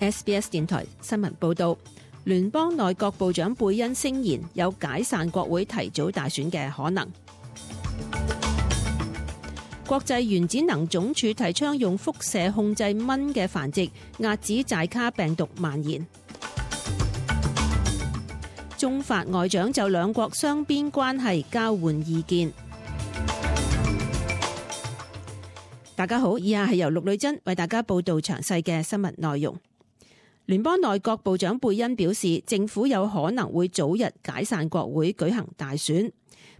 SBS 電台新聞報道，聯邦內閣部長貝恩聲言有解散國會提早大選嘅可能。國際原子能總署提倡用輻射控制蚊嘅繁殖，遏止寨卡病毒蔓延。中法外長就兩國雙邊關係交換意見。大家好，以下係由陸女珍為大家報道詳細嘅新聞內容。聯邦內閣部長貝恩表示，政府有可能會早日解散國會舉行大選。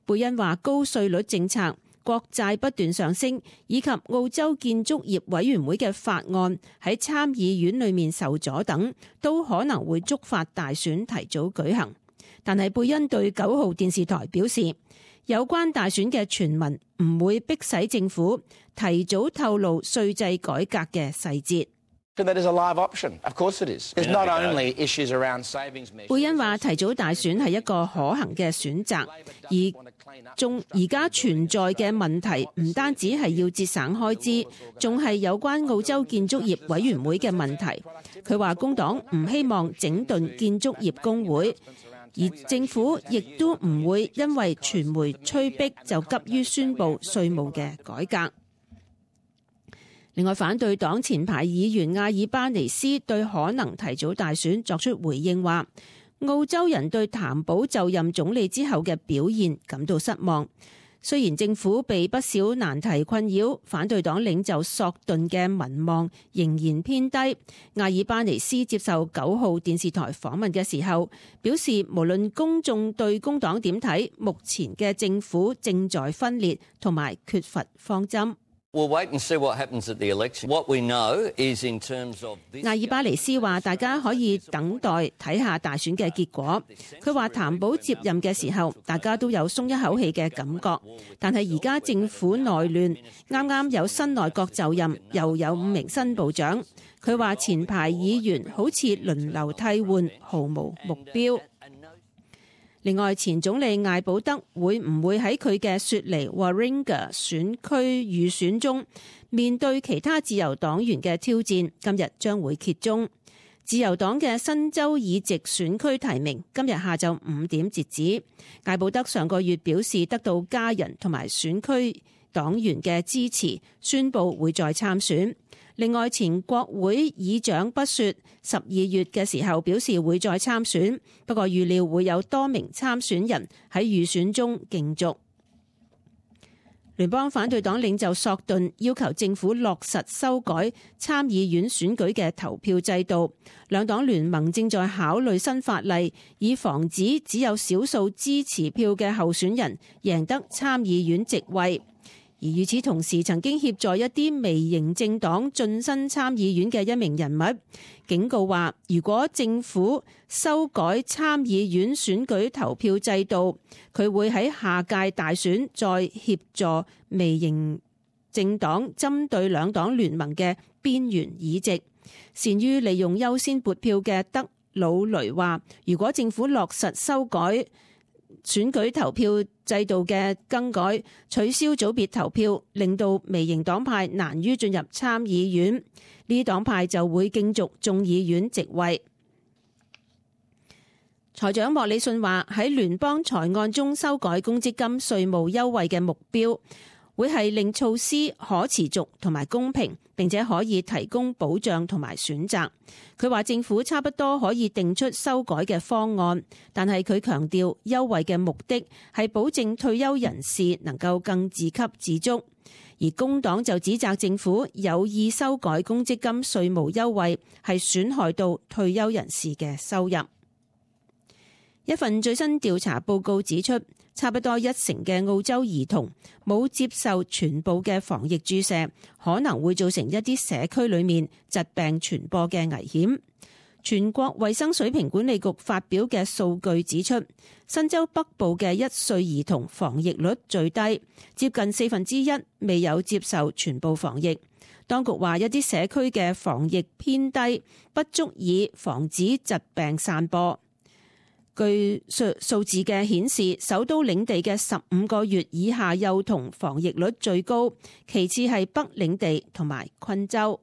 貝恩話高稅率政策、國債不斷上升，以及澳洲建築業委員會嘅法案喺參議院裏面受阻等，都可能會觸發大選提早舉行。但係貝恩對9號電視台表示，有關大選嘅傳聞唔會迫使政府提早透露稅制改革嘅細節。貝恩話提早大選係一個可行嘅選擇，而家存在嘅問題唔單止係要節省開支，仲係有關澳洲建築業委員會嘅問題。佢話工黨唔希望整頓建築業工會，而政府亦都唔會因為傳媒催逼就急於宣布稅務嘅改革。另外，反對黨前排議員阿爾巴尼斯對可能提早大選作出回應，話澳洲人對譚寶就任總理之後嘅表現感到失望。雖然政府被不少難題困擾，反對黨領袖索頓嘅民望仍然偏低。阿爾巴尼斯接受9號電視台訪問嘅時候表示，無論公眾對工黨點睇，目前嘅政府正在分裂同埋缺乏方針。阿爾巴尼斯話大家可以等待睇下大選嘅結果。佢話譚寶接任嘅時候大家都有鬆一口氣嘅感覺，但係而家政府內亂，啱啱有新內閣就任，又有5名新部長。佢話前排議員好似輪流替換，毫無目標。另外，前總理艾保德會唔會喺佢嘅雪梨 Warringah 選區預選中面對其他自由黨員嘅挑戰，今日將會揭盅。自由黨嘅新州議席選區提名今日下晝5點截止。艾保德上個月表示得到家人同埋選區黨員嘅支持，宣布會再參選。另外，前國會議長不雪12月嘅時候表示會再參選，不過預料會有多名參選人喺預選中競逐。聯邦反對黨領袖索頓要求政府落實修改參議院選舉嘅投票制度，兩黨聯盟正在考慮新法例，以防止只有少數支持票嘅候選人贏得參議院席位。而與此同時，曾經協助一啲微型政黨晉身參議院嘅一名人物警告話，如果政府修改參議院選舉投票制度，佢會喺下屆大選再協助微型政黨針對兩黨聯盟嘅邊緣議席。善於利用優先撥票嘅德魯雷話，如果政府落實修改選舉投票制度嘅更改，取消組別投票，令到微型黨派難於進入參議院，呢啲黨派就會競逐眾議院席位。財長莫里遜話，喺聯邦財案中修改公積金稅務優惠嘅目標會係令措施可持續同埋公平，並且可以提供保障同埋選擇。佢話政府差不多可以定出修改嘅方案，但係佢強調優惠嘅目的係保證退休人士能夠更自給自足。而工黨就指責政府有意修改公積金稅務優惠，係損害到退休人士嘅收入。一份最新調查報告指出，差不多1成嘅澳洲兒童冇接受全部嘅防疫注射，可能會造成一啲社區裏面疾病傳播嘅危險。全國衛生水平管理局發表嘅數據指出，新州北部嘅1歲兒童防疫率最低，接近1/4未有接受全部防疫。當局話一啲社區嘅防疫偏低，不足以防止疾病散播。據數字嘅顯示，首都領地嘅15個月以下幼童防疫率最高，其次係北領地同埋昆州。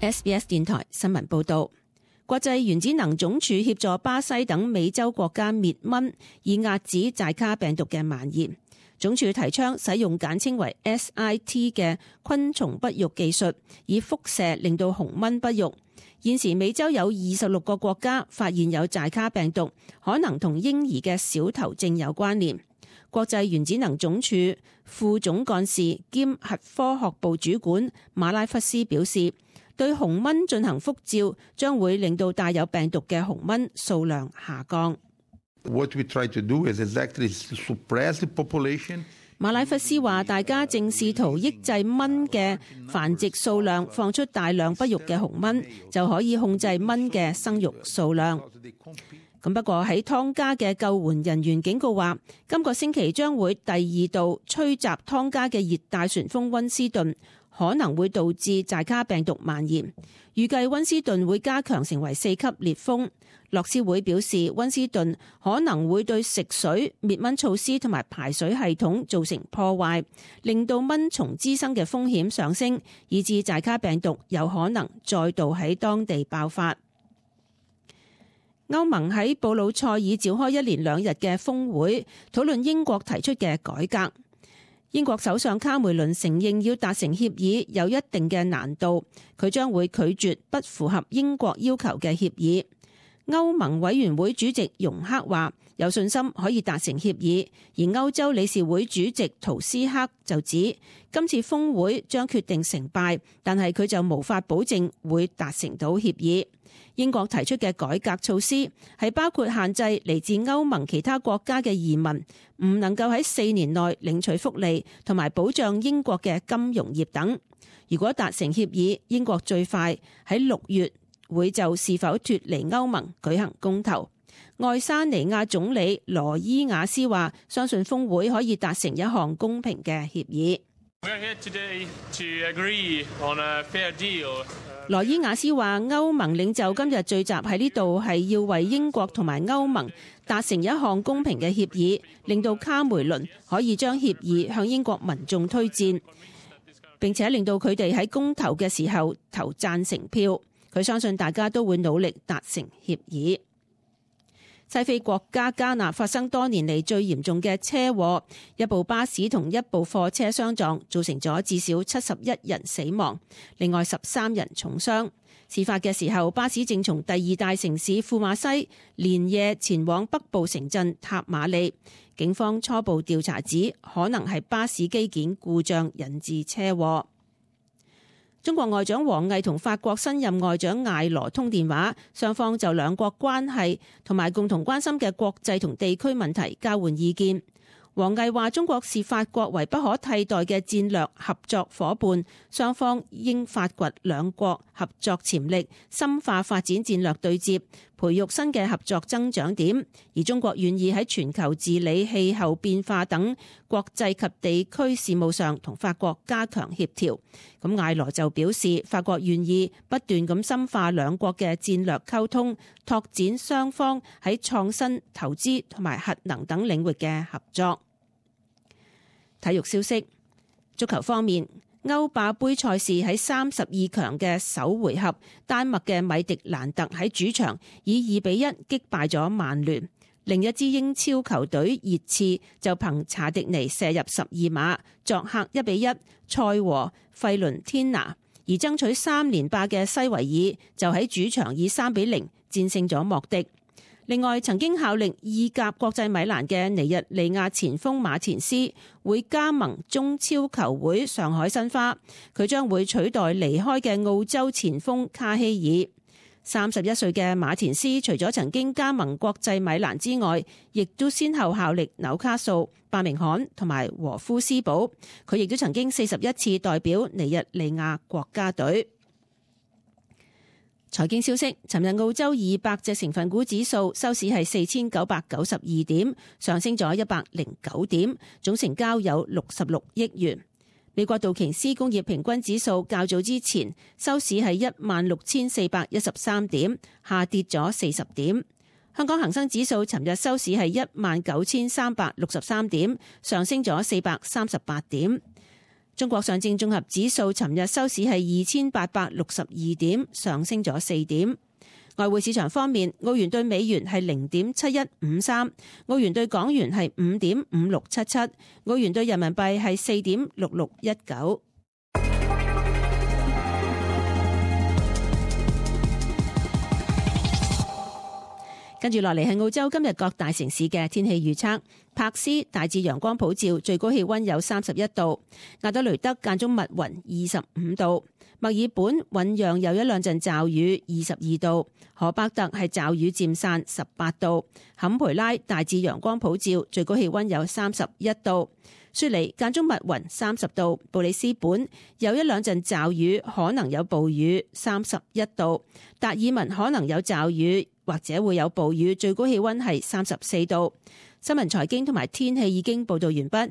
SBS 電台新聞報道，國際原子能總署協助巴西等美洲國家滅蚊，以遏止寨卡病毒嘅蔓延。總署提倡使用簡稱為 SIT 嘅昆蟲不育技術，以輻射令到紅蚊不育。現時美洲有26個國家發現有寨卡病毒，可能同嬰兒嘅小頭症有關聯。國際原子能總署副總幹事兼核科學部主管馬拉弗斯表示，對紅蚊進行輻照將會令到帶有病毒嘅紅蚊數量下降。What we try to do is exactly suppress the population. 馬拉弗斯話，大家正試圖抑制蚊嘅繁殖數量，放出大量不育嘅紅蚊，就可以控制蚊嘅生育數量。咁不過喺湯加嘅救援人員警告話，今個星期將會第二度吹襲湯加嘅熱帶旋風溫斯頓，可能會導致寨卡病毒蔓延。預計溫斯頓會加強成為4級烈風。樂施會表示，溫斯頓可能會對食水、滅蚊措施同埋排水系統造成破壞，令到蚊蟲滋生嘅風險上升，以致寨卡病毒有可能再度喺當地爆發。歐盟喺布魯塞爾召開1連2日嘅峰會，討論英國提出嘅改革。英國首相卡梅倫承認要達成協議有一定嘅難度，佢將會拒絕不符合英國要求嘅協議。歐盟委員會主席容克話有信心可以達成協議，而歐洲理事會主席圖斯克就指今次峰會將決定成敗，但係佢就無法保證會達成到協議。英國提出嘅改革措施係包括限制嚟自歐盟其他國家嘅移民唔能夠喺4年內領取福利，同埋保障英國嘅金融業等。如果達成協議，英國最快喺6月會就是否脫離歐盟舉行公投。愛沙尼亞總理羅伊亞斯話相信峰會可以達成一項公平嘅協議。羅伊亞斯話歐盟領袖今日聚集喺呢度係要為英國同埋歐盟達成一項公平嘅協議，令到卡梅倫可以將協議向英國民眾推薦，並且令到佢哋喺公投嘅時候投贊成票。佢相信大家都會努力達成協議。西非國家加納發生多年嚟最嚴重嘅車禍，一部巴士同一部貨車相撞，造成咗至少71人死亡，另外13人重傷。事發嘅時候，巴士正從第2大城市庫馬西連夜前往北部城鎮塔馬利。警方初步調查指，可能係巴士機件故障引致車禍。中國外長王毅同法國新任外長艾羅通電話，雙方就兩國關係同埋共同關心嘅國際同地區問題交換意見。王毅話中國視法國為不可替代嘅戰略合作夥伴，雙方應發掘兩國合作潛力，深化發展戰略對接，培育新嘅合作增長點。而中國願意喺全球治理、氣候變化等國際及地區事務上同法國加強協調。咁艾羅就表示，法國願意不斷咁深化兩國嘅戰略溝通，拓展雙方喺創新、投資同埋核能等領域嘅合作。體育消息，足球方面，歐霸盃賽事喺32強嘅首回合，丹麥嘅米迪蘭特喺主場以2-1擊敗咗曼聯。另一支英超球隊熱刺就憑查迪尼射入12碼，作客1-1賽和費倫天拿。而爭取3連霸嘅西維爾就喺主場以3-0戰勝咗莫迪。另外，曾經效力意甲國際米蘭嘅尼日利亞前鋒馬田斯會加盟中超球會上海申花，佢將會取代離開嘅澳洲前鋒卡希爾。31歲嘅馬田斯除咗曾經加盟國際米蘭之外，亦都先後效力紐卡素、伯明翰同埋和夫斯堡。佢亦都曾經41次代表尼日利亞國家隊。財經消息，尋日澳洲200隻成分股指數收市係4992點，上升咗109點，總成交有66億元。美國道瓊斯工業平均指數較早之前收市係16,413點，下跌咗40點。香港恒生指數尋日收市係19,363點，上升咗438點。中國上證綜合指數尋日收市係2862點，上升咗4點。外匯市場方面，澳元對美元係0.7153，澳元對港元係5.5677，澳元對人民幣係4.6619。跟住落嚟係澳洲今日各大城市嘅天氣預測。柏斯大致陽光普照，最高氣溫有31度；亞德雷德間中密雲25度；墨爾本醞釀有一兩陣驟雨22度；荷伯特係驟雨漸散18度；坎培拉大致陽光普照，最高氣溫有31度；雪梨間中密雲30度；布里斯本有一兩陣驟雨，可能有暴雨31度；達爾文可能有驟雨或者會有暴雨，最高氣溫係34度。新聞財經同埋天氣已經報道完畢。